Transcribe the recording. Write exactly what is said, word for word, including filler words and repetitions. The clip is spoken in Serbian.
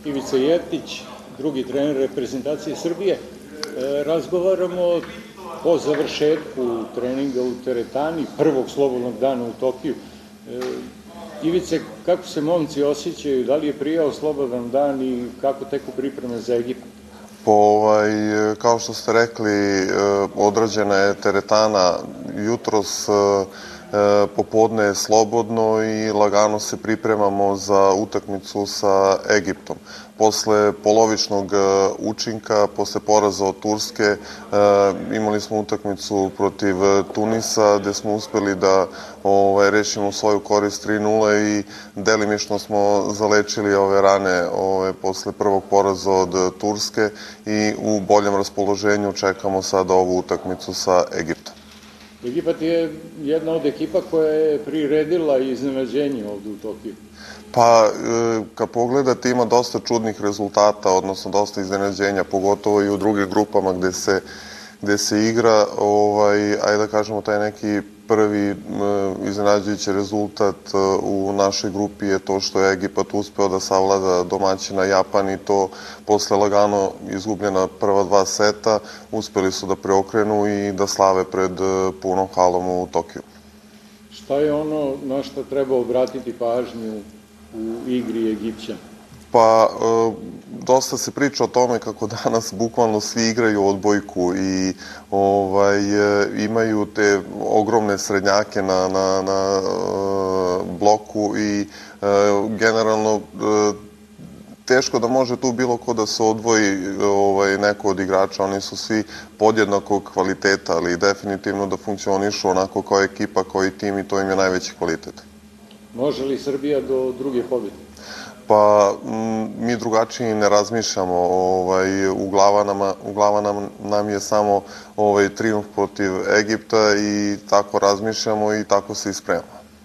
Ivica Jeftić, drugi trener reprezentacije Srbije. Razgovaramo po završetku treninga u teretani, prvog slobodnog dana u Tokiju. Ivice, kako se momci osjećaju, da li je prijao slobodan dan i kako teku pripreme za Egipat? Kao što ste rekli, odrađena je teretana jutros, popodne je slobodno i lagano se pripremamo za utakmicu sa Egiptom. Posle polovičnog učinka, posle poraza od Turske, imali smo utakmicu protiv Tunisa, gde smo uspeli da rešimo svoju korist tri nula i delimično smo zalečili ove rane posle prvog poraza od Turske i u boljem raspoloženju čekamo sada ovu utakmicu sa Egiptom. Egipat je jedna od ekipa koja je priredila iznenađenje ovde u Tokiju. Pa, kad pogledate, ima dosta čudnih rezultata, odnosno dosta iznenađenja, pogotovo i u drugim grupama gde se igra. Ajde da kažemo, taj neki prvi iznenađujući rezultat u našoj grupi je to što je Egipat uspeo da savlada domaćina Japan i to posle lagano izgubljena prva dva seta. Uspeli su da preokrenu i da slave pred punom halom u Tokiju. Šta je ono na što treba obratiti pažnju u igri Egipćana? Pa, dosta se priča o tome kako danas bukvalno svi igraju odbojku i imaju te ogromne srednjake na bloku i generalno teško da može tu bilo ko da se odvoji neko od igrača. Oni su svi podjednakog kvaliteta, ali definitivno da funkcionišu onako kao ekipa, kao i tim i to im je najveći kvalitet. Može li Srbija do druge pobjede? Pa, mi drugačiji ne razmišljamo. U glavama nam je samo trijumf protiv Egipta i tako razmišljamo i tako se i spremamo.